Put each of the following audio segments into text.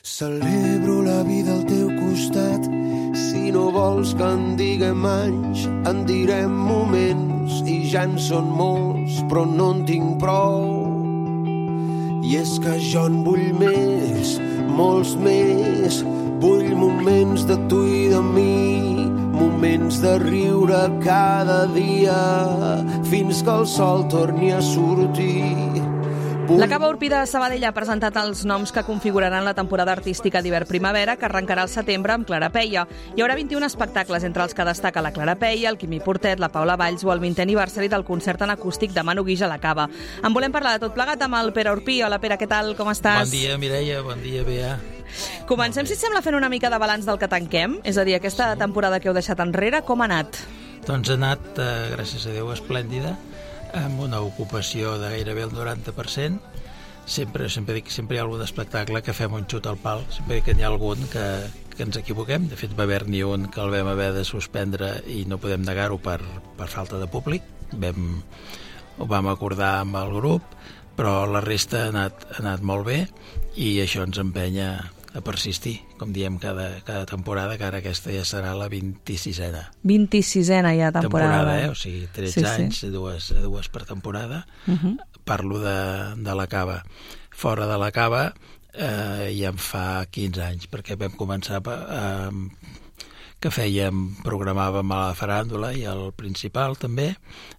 Celebro la vida al teu costat. Si no vols que en diguem anys, en direm moments, i ja en són molts, però no en tinc prou. I és que jo en vull més, molts més. Vull moments de tu i de mi, moments de riure cada dia, fins que el sol torni a sortir. La Cava Urpí de Sabadell ha presentat els noms que configuraran la temporada artística d'hivern-primavera, que arrencarà al setembre amb Clara Peia. Hi haurà 21 espectacles, entre els que destaca la Clara Peia, el Quimi Portet, la Paula Valls o el 20è aniversari del concert en acústic de Manu Guix a la Cava. En volem parlar de tot plegat amb el Pere Urpí. Hola, Pere, què tal? Com estàs? Bon dia, Mireia. Bon dia, Bea. Comencem, si et sembla, fent una mica de balanç del que tanquem. És a dir, aquesta temporada que heu deixat enrere, com ha anat? Doncs ha anat, gràcies a Déu, esplèndida, amb una ocupació de gairebé el 90%. Sempre dic que sempre hi ha algun espectacle que fem un xut al pal. Sempre dic que n'hi ha algun que ens equivoquem. De fet, va haver-n'hi un que el vam haver de suspendre i no podem negar-ho per falta de públic. Ho vam acordar amb el grup, però la resta ha anat molt bé i això ens empenya a persistir, com diem cada temporada, que ara aquesta ja serà la 26a. 26a ja temporada. O sigui, 13 anys, dues per temporada. Parlo de la Cava. Fora de la Cava ja en fa 15 anys, perquè vam començar que programàvem a la Faràndula i al Principal també,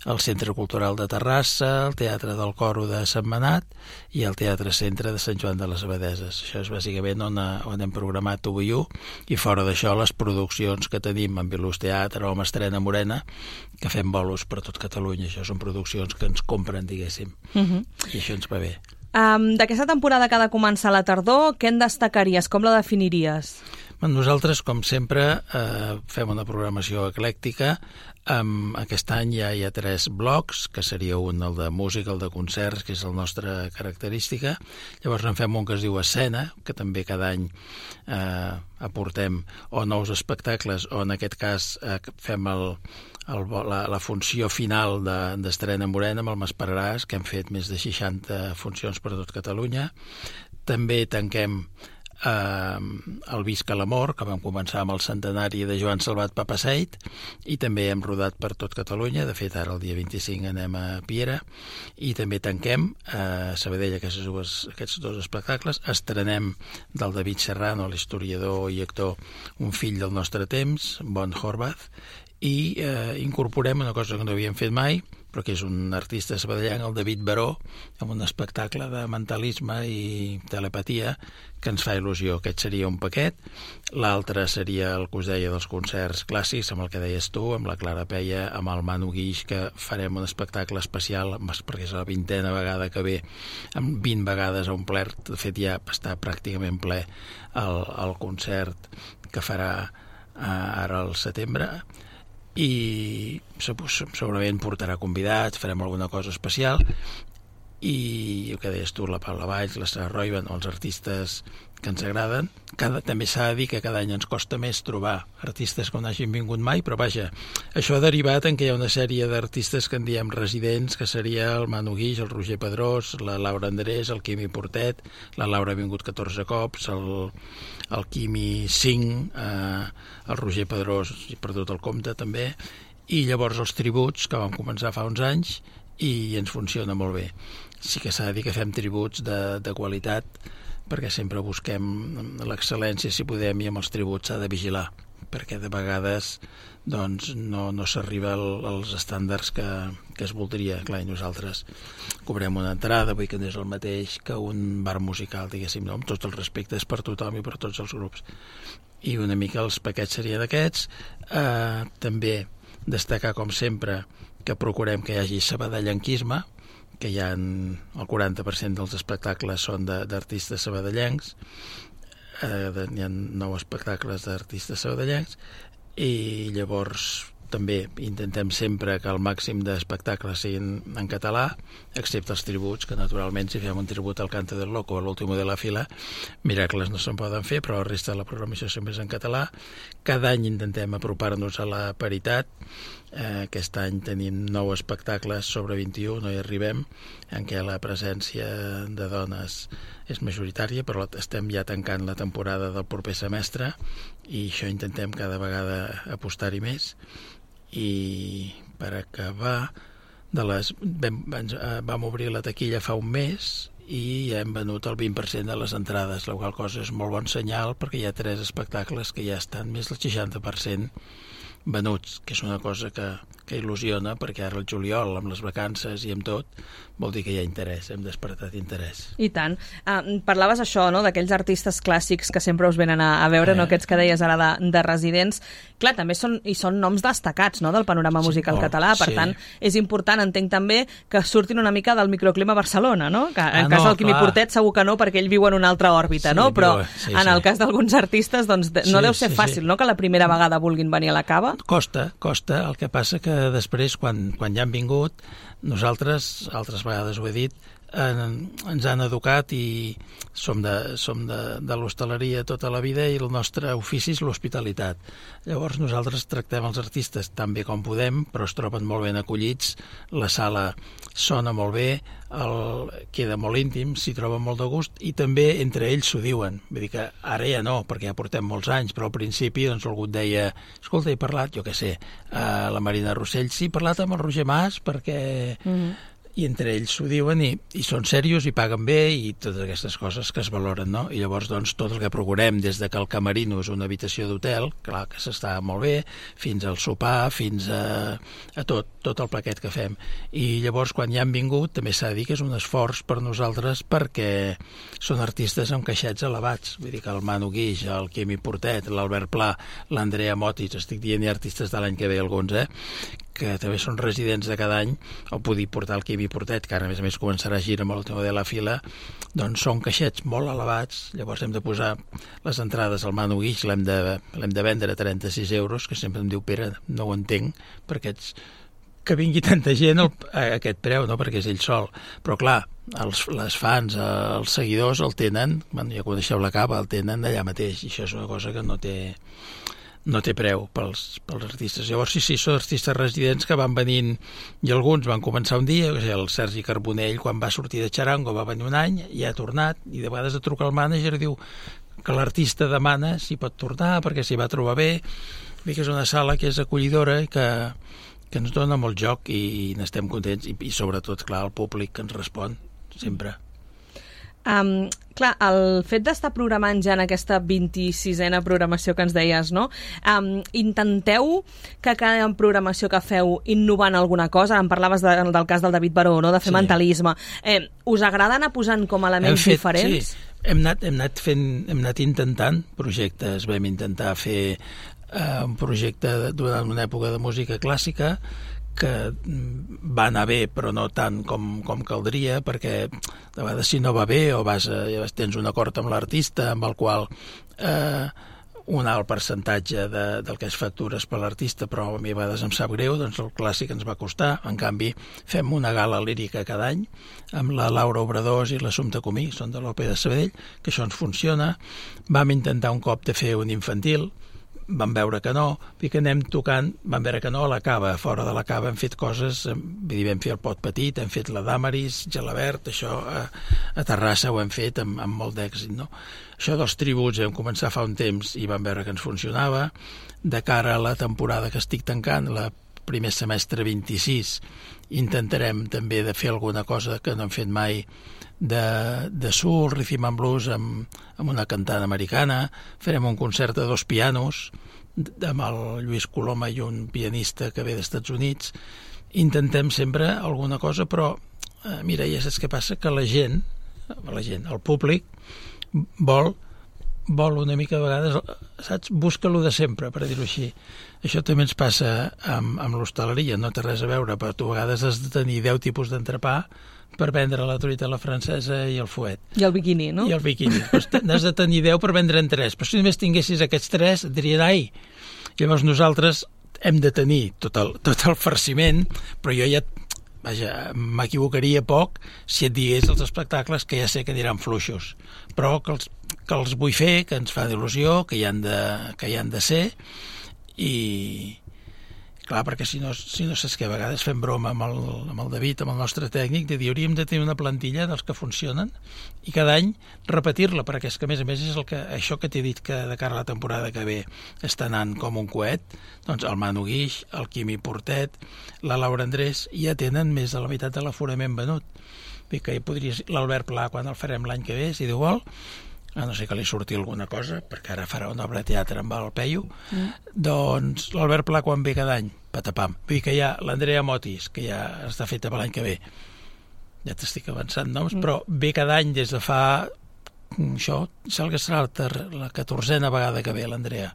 el Centre Cultural de Terrassa, el Teatre del Coro de Sentmenat i el Teatre Centre de Sant Joan de les Abadeses. Això és bàsicament on hem programat UV1, i fora d'això les produccions que tenim amb Vilús Teatre o amb Estrena Morena, que fem bolos per tot Catalunya. Això són produccions que ens compren, diguéssim, i això ens va bé. D'aquesta temporada que ha de començar a la tardor, què en destacaries? Com la definiries? Nosaltres, com sempre, fem una programació eclèctica. Aquest any ja hi ha 3 blocs, que seria un, el de música, el de concerts, que és la nostra característica. Llavors en fem un que es diu Escena, que també cada any aportem o nous espectacles, o en aquest cas fem la funció final d'Estrena Morena amb el Maspararàs, que hem fet més de 60 funcions per tot Catalunya. També tanquem el Visca l'Amor, que vam començar amb el centenari de Joan Salvat Papasseit, i també hem rodat per tot Catalunya. De fet, ara el dia 25 anem a Piera, i també tanquem a Sabadell aquests 2 espectacles. Estrenem del David Serrano, l'historiador i actor, Un fill del nostre temps, Bon Horvath, i incorporem una cosa que no havíem fet mai, però que és un artista sabadellenc, el David Baró, amb un espectacle de mentalisme i telepatia que ens fa il·lusió. Aquest seria un paquet. L'altre seria el que us deia dels concerts clàssics, amb el que deies tu, amb la Clara Peia, amb el Manu Guix, que farem un espectacle especial, perquè és la 20a vegada que ve, amb 20 vegades a omplert. De fet, ja està pràcticament ple el concert que farà ara al setembre, i segurament portarà convidats, farem alguna cosa especial, i el que deies tu, la Paula Valls, la Sara Roiban, els artistes que ens agraden. També s'ha de dir que cada any ens costa més trobar artistes que no hagin vingut mai, però vaja, això ha derivat en que hi ha una sèrie d'artistes que en diem residents, que seria el Manu Guix, el Roger Pedrós, la Laura Andrés, el Quimi Portet, la Laura ha vingut 14 cops, el Quimi 5, el Roger Pedrós, he perdut el compte també, i llavors els tributs, que vam començar fa uns anys, i ens funciona molt bé. Sí que s'ha de dir que fem tributs de qualitat, perquè sempre busquem l'excel·lència si podem, i amb els tributs s'ha de vigilar, perquè de vegades doncs, no s'arriba als estàndards que es voldria. Clar, i nosaltres cobrem una entrada, vull que no és el mateix que un bar musical, diguéssim, no? Amb tots els respectes per tothom i per tots els grups. I una mica els paquets serien aquests. També destacar, com sempre, que procurem que hi hagi sabadellenquisme, que hi ha el 40% dels espectacles són d'artistes sabadellencs, hi ha 9 espectacles d'artistes sabadellencs, i llavors també intentem sempre que el màxim d'espectacles siguin en català, excepte els tributs, que naturalment si fem un tribut al Cante del Loco o a l'Último de la Fila, miracles no se'n poden fer, però la resta de la programació sempre és en català. Cada any intentem apropar-nos a la paritat. Aquest any tenim 9 espectacles sobre 21, no hi arribem, en què la presència de dones és majoritària, però estem ja tancant la temporada del proper semestre i això intentem cada vegada apostar-hi més. I per acabar, vam obrir la taquilla fa un mes i ja hem venut el 20% de les entrades, la qual cosa és molt bon senyal perquè hi ha 3 espectacles que ja estan més del 60% venuts, que és una cosa que il·lusiona, perquè ara el juliol, amb les vacances i amb tot, vol dir que hi ha interès, hem despertat interès. I tant. Parlaves això, no?, d'aquells artistes clàssics que sempre us venen a veure, no?, aquests que deies ara de residents. Clar, també són noms destacats, no?, del panorama musical català, per tant, és important, entenc també, que surtin una mica del microclima a Barcelona, no?, que en cas del Quimi Portet segur que no, perquè ell viu en una altra òrbita, no?, però en el cas d'alguns artistes, doncs, no deu ser fàcil, no?, que la primera vegada vulguin venir a la Cava. Costa. El que passa que després, quan ja han vingut, nosaltres, altres vegades ho he dit, ens han educat i som de l'hostaleria tota la vida i el nostre ofici és l'hospitalitat. Llavors nosaltres tractem els artistes tan bé com podem, però es troben molt ben acollits, la sala sona molt bé, queda molt íntim, s'hi troben molt de gust i també entre ells s'ho diuen. Vull dir que ara ja no, perquè ja portem molts anys, però al principi doncs algú et deia, escolta, he parlat, jo què sé, la Marina Rossell, sí, he parlat amb el Roger Mas perquè... I entre ells s'ho diuen i són serios i paguen bé i totes aquestes coses que es valoren, no? I llavors, doncs, tot el que procurem, des de que el camerino és una habitació d'hotel, clar que s'està molt bé, fins al sopar, fins a tot el paquet que fem. I llavors, quan ja han vingut, també s'ha de dir que és un esforç per nosaltres perquè són artistes amb caixets elevats. Vull dir que el Manu Guix, el Quimi Portet, l'Albert Pla, l'Andrea Motis, estic dient hi ha artistes de l'any que ve alguns, que també són residents de cada any, o poder portar el Quimi Portet, que ara a més començarà a girar amb l'Último de la Fila, doncs són caixets molt elevats, llavors hem de posar les entrades al Manu Guix, l'hem de vendre a 36 euros, que sempre em diu, Pere, no ho entenc, perquè que vingui tanta gent a aquest preu, no? Perquè és ell sol. Però clar, les fans, els seguidors el tenen, ja coneixeu la Cava, el tenen allà mateix, i això és una cosa que no té preu pels artistes. Llavors, sí, són artistes residents que van venint, i alguns van començar un dia, el Sergi Carbonell, quan va sortir de Charango, va venir un any, i ha tornat, i de vegades et truca el mànager i diu que l'artista demana si pot tornar, perquè s'hi va trobar bé. Vull dir que és una sala que és acollidora i que ens dona molt joc i n'estem contents, i sobretot, clar, el públic que ens respon, sempre. Clar, el fet d'estar programant ja en aquesta 26a programació que ens deies, no? Intenteu que cada programació que feu innovant alguna cosa, em parlaves del cas del David Baró, no? De fer mentalisme. Us agrada anar posant com elements diferents? Sí, hem anat intentant projectes, vam intentar fer un projecte durant una època de música clàssica que va anar bé però no tant com caldria, perquè de vegades si no va bé o tens un acord amb l'artista amb el qual un alt percentatge del que es factures per l'artista, però a mi a vegades em sap greu, doncs el clàssic ens va costar. En canvi, fem una gala lírica cada any amb la Laura Obradors i l'Assumpta Comí, són de l'Òpera de Sabadell, que això ens funciona. Vam intentar un cop de fer un infantil, vam veure que no, i que anem tocant, vam veure que no a la Cava, fora de la Cava hem fet coses, vam fer el Pot Petit, hem fet la Damaris, Gelabert, això a Terrassa ho hem fet amb molt d'èxit, no? Això dels tributs vam començar fa un temps i vam veure que ens funcionava. De cara a la temporada que estic tancant, la primer semestre 26, intentarem també de fer alguna cosa que no hem fet mai de soul, rhythm and blues amb una cantant americana. Farem un concert de 2 pianos amb el Lluís Coloma i un pianista que ve d'Estats Units. Intentem sempre alguna cosa, però mira, ja saps què passa? Que la gent, el públic vol una mica de vegades, saps? Busca lo de sempre, per dir-ho així. Això també ens passa amb l'hostaleria, no té res a veure, però tu a vegades has de tenir 10 tipus d'entrepà per vendre la truita a la francesa i el fuet. I el biquini, no? I el biquini. N'has de tenir 10 per vendre'n 3, però si només tinguessis aquests 3 et dirien, ai! Llavors nosaltres hem de tenir tot el farciment, però jo ja m'equivocaria poc si et digués els espectacles que ja sé que aniran fluixos, però que els vull fer, que ens fa il·lusió, que hi han de ser, i clar, perquè si no saps que a vegades fem broma amb el David, amb el nostre tècnic, de dir, hauríem de tenir una plantilla dels que funcionen i cada any repetir-la, perquè és que a més és això que t'he dit que de cara a la temporada que ve està anant com un coet, doncs el Manu Guix, el Quimi Portet, la Laura Andrés ja tenen més de la meitat de l'aforament venut. Vull dir que l'Albert Pla, quan el farem l'any que ve, si Déu vol, a no sé que li surti alguna cosa, perquè ara farà una obra de teatre amb el Peyu, doncs l'Albert Pla quan ve cada any, patapam. Vull dir que hi ha l'Andrea Motis, que ja està feta per l'any que ve, ja t'estic avançant noms, però ve cada any des de fa això, sembla que serà la 14a vegada que ve l'Andrea.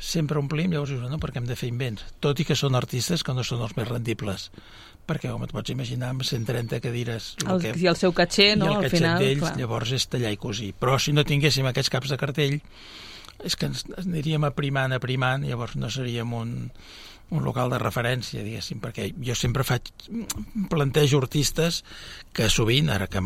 Sempre omplim, llavors dius, no, perquè hem de fer invents, tot i que són artistes que no són els més rendibles, perquè com et pots imaginar amb 130 cadires i el seu caché, no? I el al catxet final, d'ells, clar. Llavors és tallar i cosir. Però si no tinguéssim aquests caps de cartell és que ens aniríem aprimant, llavors no seríem un local de referència, diguéssim, perquè jo sempre plantejo artistes que sovint, ara que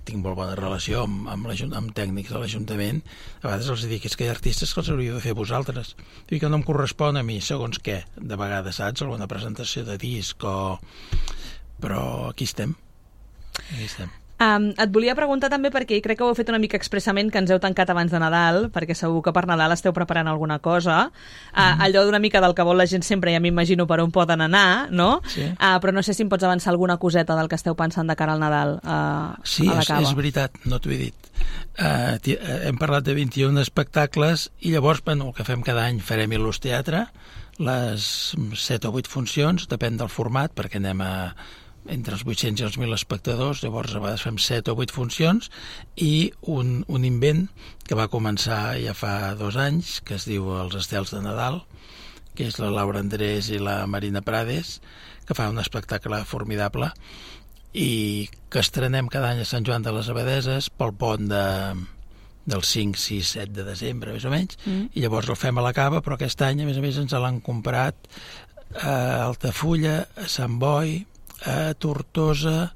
tinc molt bona relació amb tècnics de l'Ajuntament, a vegades els dic, és que hi ha artistes que els hauríeu de fer vosaltres. Dic que no em correspon a mi, segons què, de vegades, saps? Alguna presentació de disc però aquí estem. Et volia preguntar també, perquè crec que ho heu fet una mica expressament, que ens heu tancat abans de Nadal, perquè segur que per Nadal esteu preparant alguna cosa, allò d'una mica del que vol la gent sempre, ja m'imagino per on poden anar, no? Sí. Però no sé si em pots avançar alguna coseta del que esteu pensant de cara al Nadal sí, a la Cava. És veritat, no t'ho he dit. Hem parlat de 21 espectacles i llavors, el que fem cada any, farem Il·lus Teatre, les 7 o 8 funcions, depèn del format, perquè anem entre els 800 i els 1.000 espectadors, llavors a vegades fem 7 o 8 funcions, i un invent que va començar ja fa 2 anys, que es diu Els estels de Nadal, que és la Laura Andrés i la Marina Prades, que fa un espectacle formidable, i que estrenem cada any a Sant Joan de les Abadeses pel pont del 5, 6, 7 de desembre, més o menys, i llavors el fem a la Cava, però aquest any, a més, ens l'han comprat a Altafulla, a Sant Boi, a Tortosa,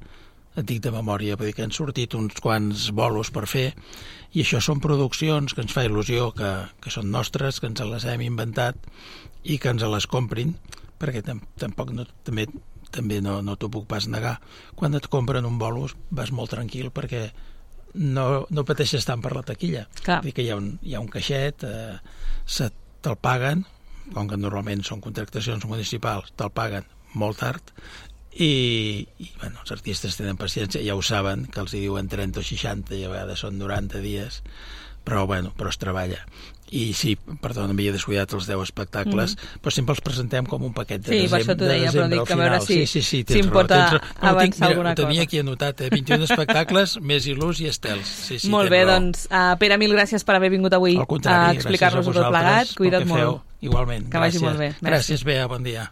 et dic de memòria, vull dir que han sortit uns quants bolos per fer, i això són produccions que ens fa il·lusió, que són nostres, que ens les hem inventat i que ens les comprin, perquè tampoc també no t'ho puc pas negar. Quan et compren un bolo vas molt tranquil perquè no pateixes tant per la taquilla. Clar. Vull dir que hi ha un caixet, te'l paguen, com que normalment són contractacions municipals, te'l paguen molt tard, i els artistes tenen paciència, ja ho saben, que els hi diuen 30 o 60 i a vegades són 90 dies, però es treballa. I sí, perdó, m'havia descuidat els 10 espectacles, però sempre els presentem com un paquet de desembre. Sí, per això t'ho deia, però dic que a veure si em pot avançar alguna cosa. Ho tenia aquí anotat, 21 espectacles, més Il·lus i estels. Sí, molt bé, doncs, Pere, mil gràcies per haver vingut avui a explicar-nos-ho tot plegat. Cuida't molt. Igualment. Que vagi molt bé. Gràcies, Bea, bon dia.